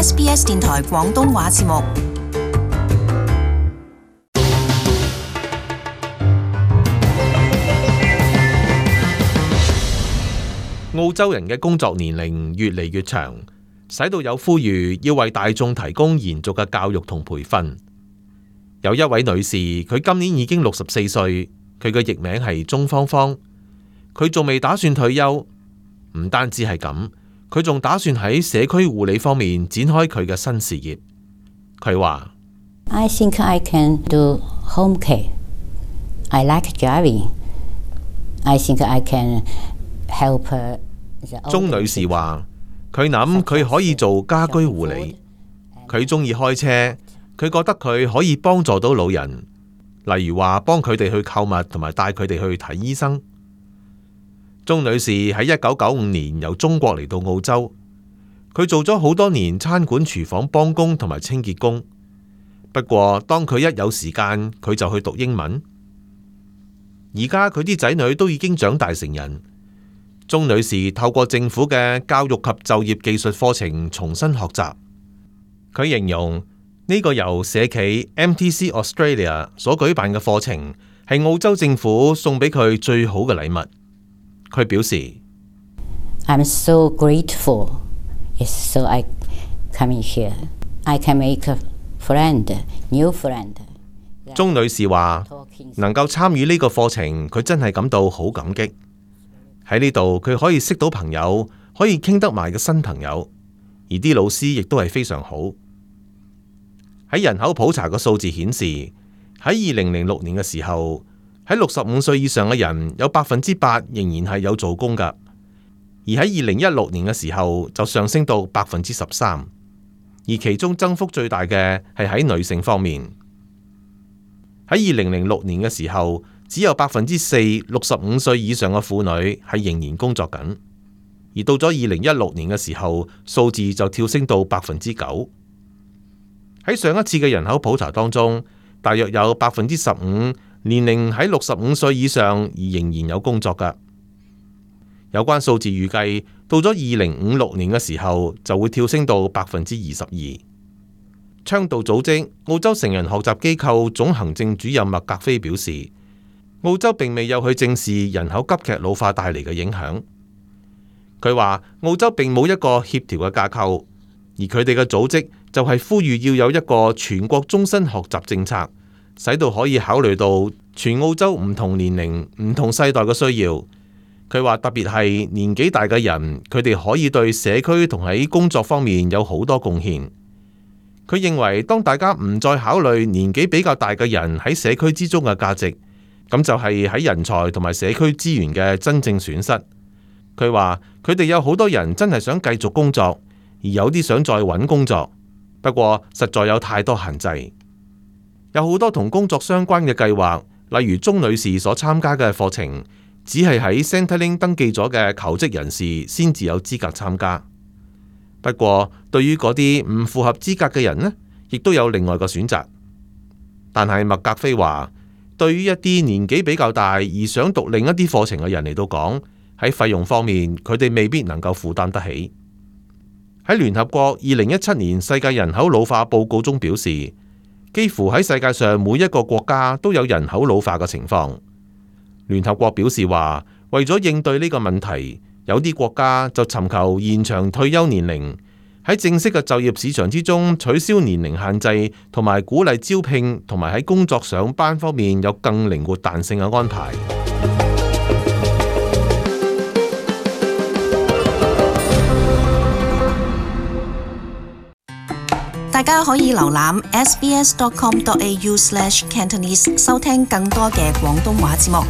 SBS 電台廣東話節目。澳洲人嘅工作年齡越嚟越長，使到有呼籲要為大眾提供延續嘅教育同培訓。有一位女士，佢今年已經64歲，佢嘅譯名係鍾芳芳。佢仲未打算退休，唔單止係咁，佢仲打算喺社區護理方面展開佢嘅新事業。佢話：I think I can do home care. I like driving. I think I can help. 鍾女士話：佢諗佢可以做家居護理，佢中意開車，佢覺得佢可以幫助到老人，例如話幫佢哋去購物同埋帶佢哋去睇醫生。鍾女士喺1995年由中國嚟到澳洲，佢做咗好多年餐館廚房幫工同埋清潔工。不過當佢一有時間，佢就去讀英文。而家佢啲仔女都已經長大成人。鍾女士透過政府嘅教育及就業技術課程重新學習。佢形容呢個由社企 MTC Australia 所舉辦嘅課程係澳洲政府送俾佢最好嘅禮物。佢表示 I'm so grateful. Yes, so I come in here. I can make a friend, new friend. 鍾女士話能夠參與呢個課程，佢真係感到好感激。喺呢度佢可以識到朋友，可以傾得埋嘅新朋友，而啲老師亦都係非常好。喺人口普查嘅數字顯示，喺2006年嘅時候，喺65歲以上嘅人有8%仍然係有做工㗎，而喺2016年嘅時候就上升到13%，而其中增幅最大嘅係喺女性方面。喺2006年嘅時候，只有4%65歲以上嘅婦女係仍然工作緊，而到咗2016年嘅時候，數字就跳升到9%。喺上一次嘅人口普查當中，大約有15%年齡喺65歲以上而仍然有工作㗎。有關數字預計到咗2056年嘅時候就會跳升到22%。倡導組織澳洲成人學習機構總行政主任麥格菲表示，澳洲並未有去正視人口急劇老化帶嚟嘅影響。佢話澳洲並冇一個協調嘅架構，而佢哋嘅組織就係呼籲要有一個全國終身學習政策，使到可以考慮到全澳洲唔同年齡、唔同世代嘅需要。佢話特別係年紀大嘅人，佢哋可以對社區同喺工作方面有好多貢獻。佢認為當大家唔再考慮年紀比較大嘅人喺社區之中嘅價值，咁就係喺人才同埋社區資源嘅真正損失。佢話佢哋有好多人真係想繼續工作，而有啲想再揾工作，不過實在有太多限制。有好多同工作相關嘅計劃，例如鍾女士所參加嘅課程，只係喺 Centrelink 登記咗嘅求職人士先至有資格參加。不過對於嗰啲唔符合資格嘅人呢，亦都有另外個選擇。但係麥格菲話，對於一啲年紀比較大而想讀另一啲課程嘅人嚟到講，喺費用方面佢哋未必能夠負擔得起。喺聯合國2017年世界人口老化報告中表示，幾乎喺世界上每一個國家都有人口老化嘅情況。聯合國表示話，為咗應對呢個問題，有啲國家就尋求延長退休年齡，喺正式嘅就業市場之中取消年齡限制，同埋鼓勵招聘同埋喺工作上班方面有更靈活彈性嘅安排。大家可以瀏覽 sbs.com.au/Cantonese 收聽更多嘅廣東話節目。